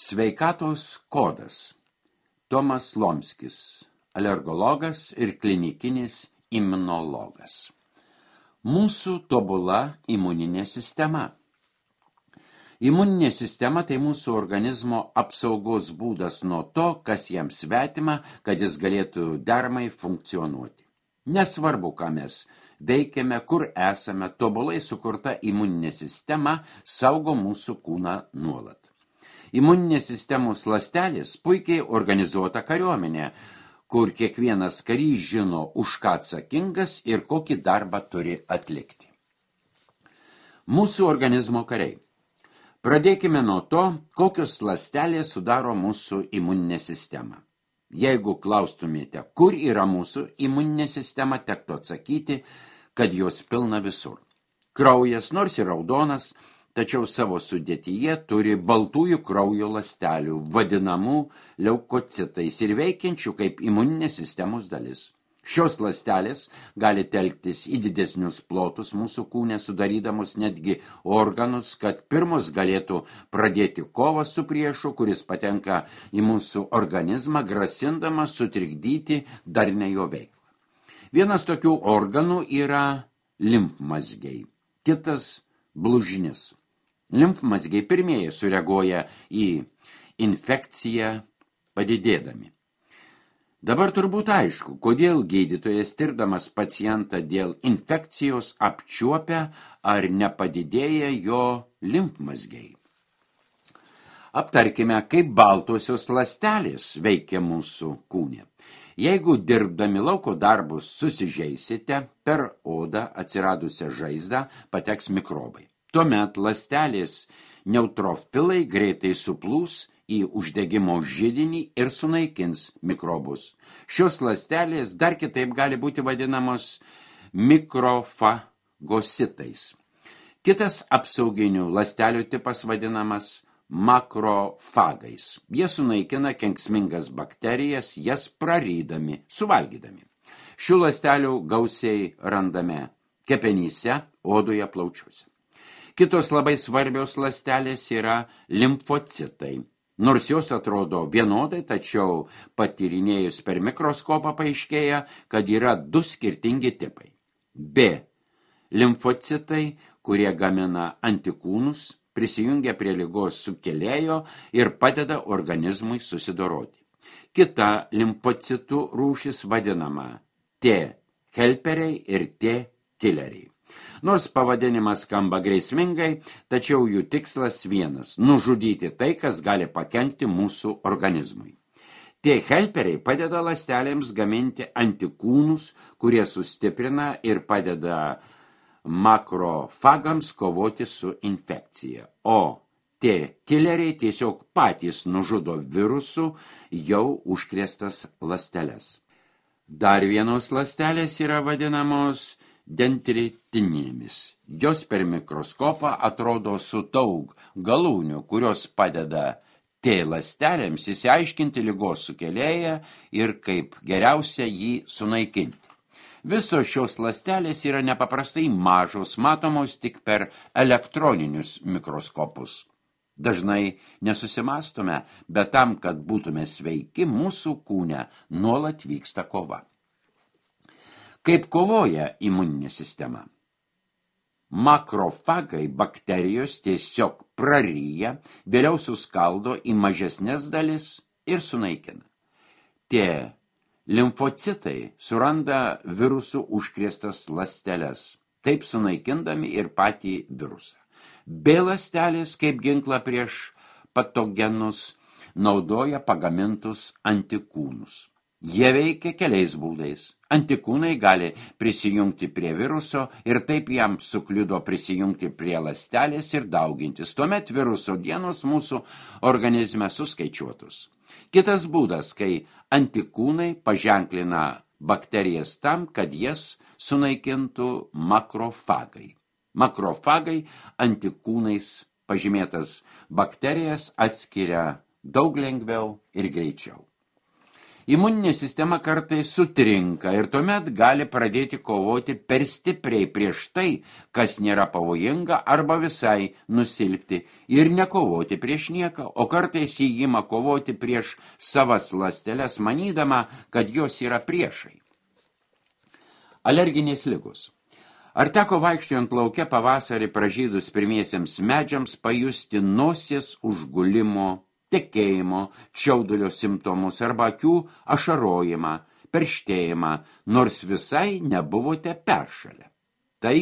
Sveikatos kodas. Tomas Lomskis, alergologas ir klinikinis imunologas. Mūsų tobula imuninė sistema. Imuninė sistema tai mūsų organizmo apsaugos būdas nuo to, kas jam svetima, kad jis galėtų deramai funkcionuoti. Nesvarbu, ką mes veikiame, kur esame, tobulai sukurta imuninė sistema saugo mūsų kūną nuolat. Imuninės sistemos ląstelės puikiai organizuota kariuomenė, kur kiekvienas karys žino, už ką atsakingas ir kokį darbą turi atlikti. Mūsų organizmo kariai. Pradėkime nuo to, kokios ląstelės sudaro mūsų imuninę sistemą. Jeigu klaustumėte, kur yra mūsų imuninė sistema, tektų atsakyti, kad jos pilna visur. Kraujas, nors ir raudonas, tačiau savo sudėtyje turi baltųjų kraujo ląstelių, vadinamų leukocitais ir veikiančių kaip imuninės sistemos dalis. Šios ląstelės gali telktis į didesnius plotus mūsų kūne, sudarydamos netgi organus, kad pirmus galėtų pradėti kovą su priešu, kuris patenka į mūsų organizmą, grasindamas sutrikdyti darnią jo veiklą. Vienas tokių organų yra limfmazgiai, kitas blužnis. Limfmazgiai pirmieji sureaguoja į infekciją padidėdami. Dabar turbūt aišku, kodėl gydytojas tirdamas pacientą dėl infekcijos apčiuopia ar nepadidėja jo limfmazgiai. Aptarkime, kaip baltosios ląstelės veikia mūsų kūne. Jeigu dirbdami lauko darbus susižeisite, per odą atsiradusią žaizdą pateks mikrobai. Tuomet ląstelės neutrofilai greitai suplūs į uždegimo židinį ir sunaikins mikrobus. Šios ląstelės dar kitaip gali būti vadinamos mikrofagositais. Kitas apsauginių ląstelių tipas vadinamas makrofagais. Jie sunaikina kenksmingas bakterijas, jas prarydami, suvalgydami. Šių ląstelių gausiai randame kepenyse, odoje, plaučiuose. Kitos labai svarbios ląstelės yra limfocitai. Nors jos atrodo vienodai, tačiau patyrinėjus per mikroskopą paaiškėja, kad yra du skirtingi tipai. B. Limfocitai, kurie gamina antikūnus, prisijungia prie ligos sukėlėjo ir padeda organizmui susidoroti. Kita limfocitų rūšis vadinama T. helperiai ir T. killeriai. Nors pavadinimas skamba grėsmingai, tačiau jų tikslas vienas – nužudyti tai, kas gali pakenkti mūsų organizmui. Tie helperiai padeda ląstelėms gaminti antikūnus, kurie sustiprina ir padeda makrofagams kovoti su infekcija. O tie killeriai tiesiog patys nužudo virusų jau užkrėstas ląsteles. Dar vienos ląstelės yra vadinamos dendritinėmis. Jos per mikroskopą atrodo su daug galūnių, kurios padeda T ląstelėms išsiaiškinti ligos sukėlėją ir kaip geriausia jį sunaikinti. Visos šios ląstelės yra nepaprastai mažos, matomos tik per elektroninius mikroskopus. Dažnai nesusimastome, bet tam, kad būtume sveiki, mūsų kūne nuolat vyksta kova. Kaip kovoja imuninė sistema? Makrofagai bakterijos tiesiog praryja, vėliau suskaldo į mažesnes dalis ir sunaikina. Tie limfocitai suranda virusų užkrėstas ląsteles, taip sunaikindami ir patį virusą. B ląstelės kaip ginklą prieš patogenus naudoja pagamintus antikūnus. Jie veikia keliais būdais. Antikūnai gali prisijungti prie viruso ir taip jam sukliudo prisijungti prie ląstelės ir daugintis. Tuomet viruso dienos mūsų organizme suskaičiuotus. Kitas būdas, kai antikūnai paženklina bakterijas tam, kad jas sunaikintų makrofagai. Makrofagai antikūnais pažymėtas bakterijas atskiria daug lengviau ir greičiau. Imuninė sistema kartais sutrinka ir tuomet gali pradėti kovoti per stipriai prieš tai, kas nėra pavojinga, arba visai nusilpti ir nekovoti prieš nieką, o kartais jį ima kovoti prieš savas ląsteles, manydama, kad jos yra priešai. Alerginės ligos. Ar teko vaikščiojant lauke pavasarį pražydus pirmiesiems medžiams pajusti nosies užgulimo, tekėjimo, čiaudulio simptomus arba akių ašarojimą, perštėjimą, nors visai nebuvote peršalę? Tai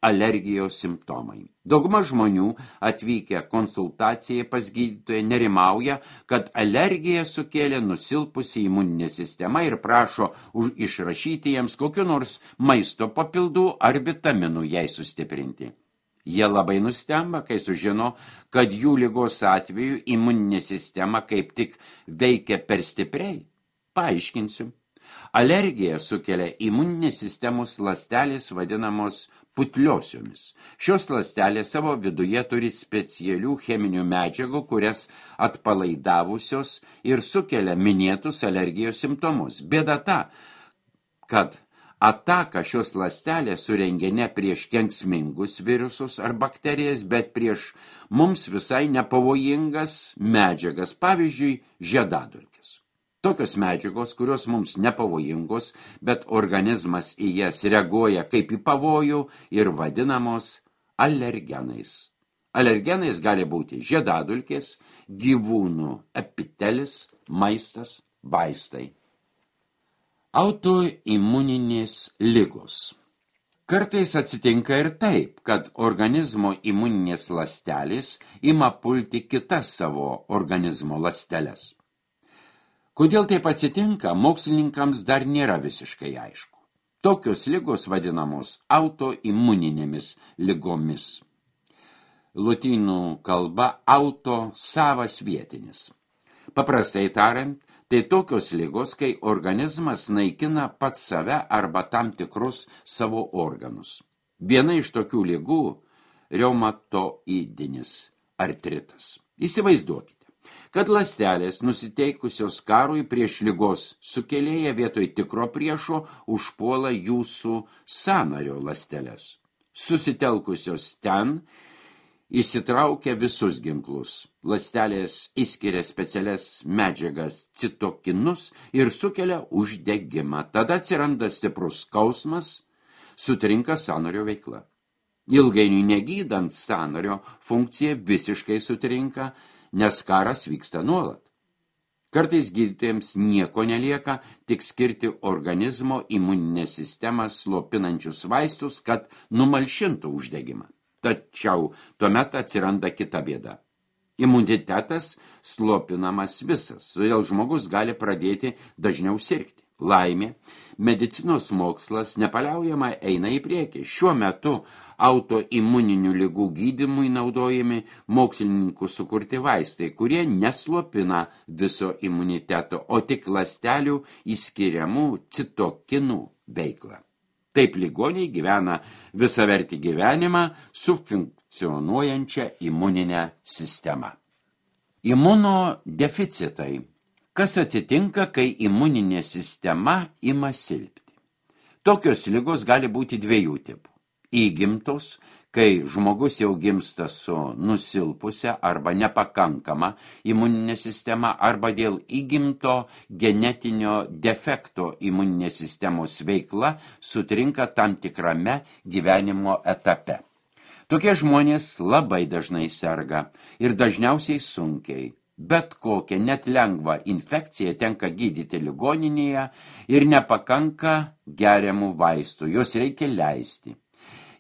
alergijos simptomai. Dauguma žmonių atvykę konsultacijai pas gydytoją nerimauja, kad alergija sukėlė nusilpusi imuninė sistema ir prašo išrašyti jiems kokiu nors maisto papildų ar vitaminų jai sustiprinti. Jie labai nustemba, kai sužino, kad jų ligos atveju imuninė sistema kaip tik veikia per stipriai. Paaiškinsiu. Alergija sukelia imuninės sistemos ląstelės vadinamos putliosiomis. Šios ląstelės savo viduje turi specialių cheminių medžiagų, kurias atpalaidavusios ir sukelia minėtus alergijos simptomus. Bėda ta, kad ataką šios ląstelės surengia ne prieš kenksmingus virusus ar bakterijas, bet prieš mums visai nepavojingas medžiagas, pavyzdžiui, žiedadulkes. Tokios medžiagos, kurios mums nepavojingos, bet organizmas į jas reaguoja kaip į pavojų ir vadinamos alergenais. Alergenais gali būti žiedadulkės, gyvūnų epitelis, maistas, vaistai. Autoimuninės ligos. Kartais atsitinka ir taip, kad organizmo imuninės ląstelės ima pulti kitas savo organizmo ląsteles. Kodėl taip atsitinka, mokslininkams dar nėra visiškai aišku. Tokios ligos vadinamos autoimuninėmis ligomis. Lotynų kalba auto savas vietinis. Paprastai tariant, tai tokios ligos, kai organizmas naikina pats save arba tam tikrus savo organus. Viena iš tokių ligų – reumatoidinis artritas. Įsivaizduokite, kad ląstelės nusiteikusios karui prieš ligos sukėlėją vietoj tikro priešo užpuola jūsų sąnario ląsteles. Susitelkusios ten įsitraukia visus ginklus. Ląstelės išskiria specialias medžiagas citokinus ir sukelia uždegimą. Tada atsiranda stiprus skausmas, sutrinka sąnario veikla. Ilgainiui negydant sąnario funkcija visiškai sutrinka, nes karas vyksta nuolat. Kartais gydytojams nieko nelieka, tik skirti organizmo imuninę sistemą slopinančius vaistus, kad numalšintų uždegimą. Tačiau tuomet atsiranda kita bėda. Imunitetas slopinamas visas, todėl žmogus gali pradėti dažniau sirgti. Laimė, medicinos mokslas nepaliaujamai eina į priekį. Šiuo metu autoimuninių ligų gydymui naudojami mokslininkų sukurti vaistai, kurie neslopina viso imuniteto, o tik ląstelių išskiriamų citokinų veiklą. Taip ligoniai gyvena visavertį gyvenimą su funkcionuojančia imuninė sistema. Imunodeficitai. Kas atsitinka, kai imuninė sistema ima silpti? Tokios ligos gali būti dviejų tipų. Įgimtos, kai žmogus jau gimsta su nusilpusia arba nepakankama imuninė sistema, arba dėl įgimto genetinio defekto imuninės sistemos veikla sutrinka tam tikrame gyvenimo etape. Tokie žmonės labai dažnai serga ir dažniausiai sunkiai. Bet kokią net lengvą infekciją tenka gydyti ligoninėje ir nepakanka geriamų vaistų, jos reikia leisti.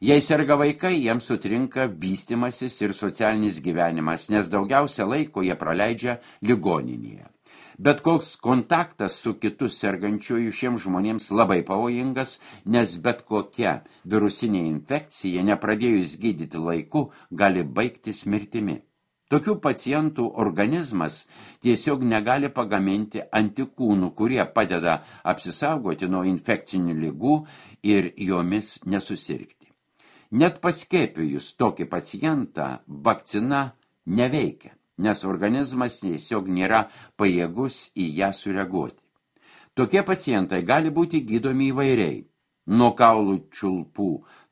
Jei serga vaikai, jiems sutrinka vystymasis ir socialinis gyvenimas, nes daugiausia laiko jie praleidžia ligoninėje. Bet koks kontaktas su kitu sergančiuoju šiems žmonėms labai pavojingas, nes bet kokia virusinė infekcija, nepradėjus gydyti laiku, gali baigtis mirtimi. Tokių pacientų organizmas tiesiog negali pagaminti antikūnų, kurie padeda apsisaugoti nuo infekcinių ligų ir jomis nesusirgti. Net paskiepijus tokį pacientą vakcina neveikia, nes organizmas tiesiog nėra pajėgus į ją sureaguoti. Tokie pacientai gali būti gydomi įvairiai. Nuo kaulų čiulpų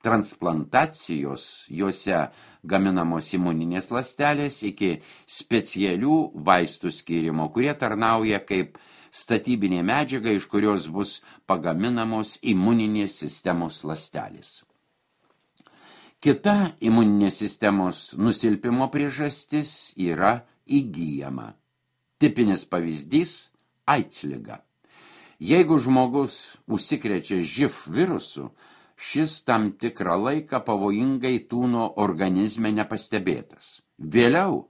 transplantacijos, juose gaminamos imuninės ląstelės, iki specialių vaistų skyrimo, kurie tarnauja kaip statybinė medžiaga, iš kurios bus pagaminamos imuninės sistemos ląstelės. Kita imuninės sistemos nusilpimo priežastis yra įgyjama. Tipinis pavyzdys – AIDS liga. Jeigu žmogus užsikrečia živ virusu, šis tam tikrą laiką pavojingai tūno organizme nepastebėtas. Vėliau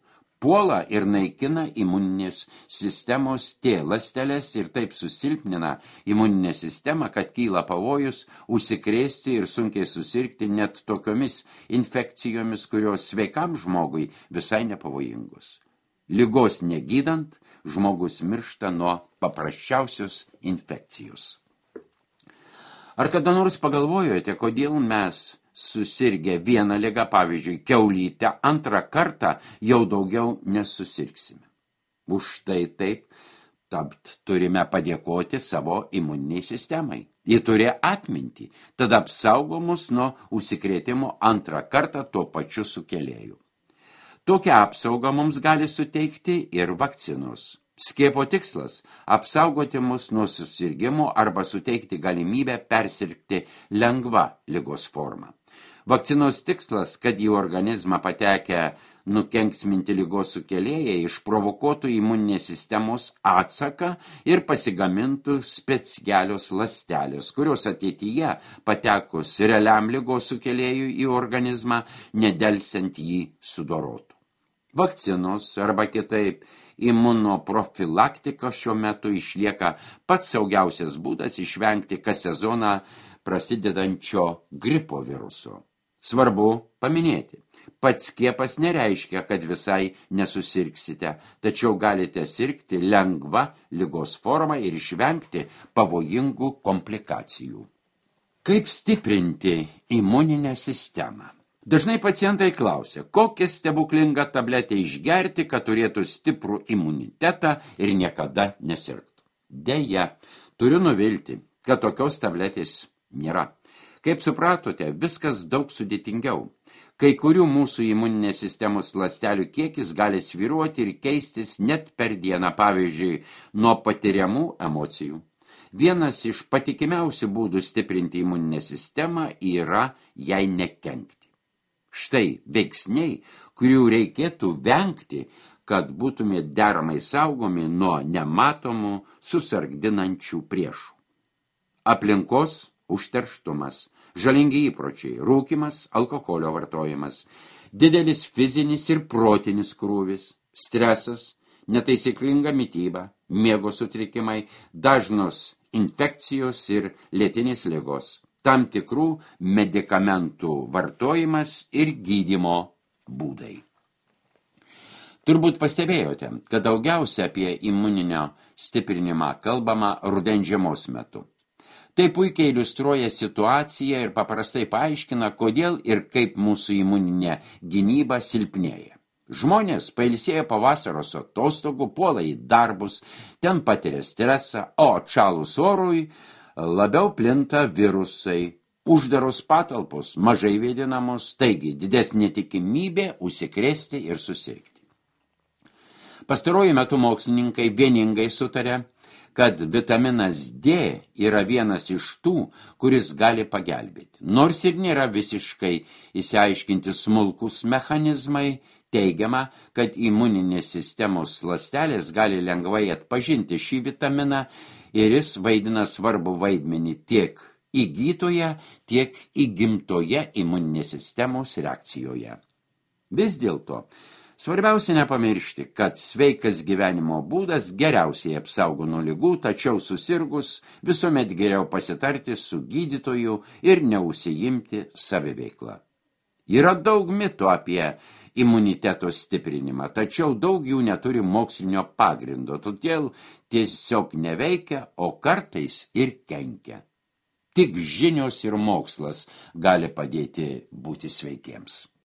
puola ir naikina imuninės sistemos T ląsteles ir taip susilpnina imuninę sistemą, kad kyla pavojus užsikrėsti ir sunkiai susirgti net tokiomis infekcijomis, kurios sveikam žmogui visai nepavojingos. Ligos negydant, žmogus miršta nuo paprasčiausios infekcijos. Ar kada nors pagalvojote, kodėl mes susirgę vieną ligą, pavyzdžiui, kiaulytę, antrą kartą jau daugiau nesusirgsime? Už tai taip turime padėkoti savo imuniniai sistemai. Ji turi atmintį, tada apsaugo mus nuo užsikrėtimo antrą kartą tuo pačiu sukėlėju. Tokią apsaugą mums gali suteikti ir vakcinos. Skiepo tikslas – apsaugoti mus nuo susirgimo arba suteikti galimybę persirgti lengva ligos forma. Vakcinos tikslas, kad į organizmą patekę nukenksminti ligos sukėlėjai išprovokuotų imuninės sistemos atsaką ir pasigamintų specialios ląstelės, kurios ateityje patekus realiam ligos sukėlėjui į organizmą nedelsiant jį sudorotų. Vakcinos arba kitaip imunoprofilaktika šiuo metu išlieka pats saugiausias būdas išvengti kas sezoną prasidedančio gripo viruso. Svarbu paminėti, pats skiepas nereiškia, kad visai nesusirgsite, tačiau galite sirgti lengva ligos forma ir išvengti pavojingų komplikacijų. Kaip stiprinti imuninę sistemą? Dažnai pacientai klausia, kokią stebuklingą tabletę išgerti, kad turėtų stiprų imunitetą ir niekada nesirgtų. Deja, turiu nuvilti, kad tokios tabletės nėra. Kaip supratote, viskas daug sudėtingiau. Kai kurių mūsų imuninės sistemos ląstelių kiekis gali svyruoti ir keistis net per dieną, pavyzdžiui, nuo patiriamų emocijų. Vienas iš patikimiausių būdų stiprinti imuninę sistemą yra jai nekenkti. Štai veiksniai, kurių reikėtų vengti, kad būtume deramai saugomi nuo nematomų susargdinančių priešų. Aplinkos užterštumas, žalingi įpročiai, rūkymas, alkoholio vartojimas, didelis fizinis ir protinis krūvis, stresas, netaisyklinga mityba, miego sutrikimai, dažnos infekcijos ir lėtinės ligos, tam tikrų medikamentų vartojimas ir gydymo būdai. Turbūt pastebėjote, kad daugiausia apie imuninio stiprinimą kalbama rudens žiemos metu. Tai puikiai iliustruoja situaciją ir paprastai paaiškina, kodėl ir kaip mūsų imuninė gynyba silpnėja. Žmonės pailsėję po vasaros atostogų puola į darbus, ten patiria stresą, o atšalus orui labiau plinta virusai, uždaros patalpos mažai vėdinamos, taigi didesnė tikimybė užsikrėsti ir susirgti. Pastaruoju metu mokslininkai vieningai sutarė, kad vitaminas D yra vienas iš tų, kuris gali pagelbėti. Nors ir nėra visiškai išsiaiškinti smulkus mechanizmai, teigiama, kad imuninės sistemos ląstelės gali lengvai atpažinti šį vitaminą ir jis vaidina svarbų vaidmenį tiek įgytoje, tiek įgimtoje imuninės sistemos reakcijoje. Vis dėlto, svarbiausia nepamiršti, kad sveikas gyvenimo būdas geriausiai apsaugo nuo ligų, tačiau susirgus visuomet geriau pasitarti su gydytoju ir neužsiimti saviveikla. Yra daug mitų apie imuniteto stiprinimą, tačiau daug jų neturi mokslinio pagrindo, todėl tiesiog neveikia, o kartais ir kenkia. Tik žinios ir mokslas gali padėti būti sveikiems.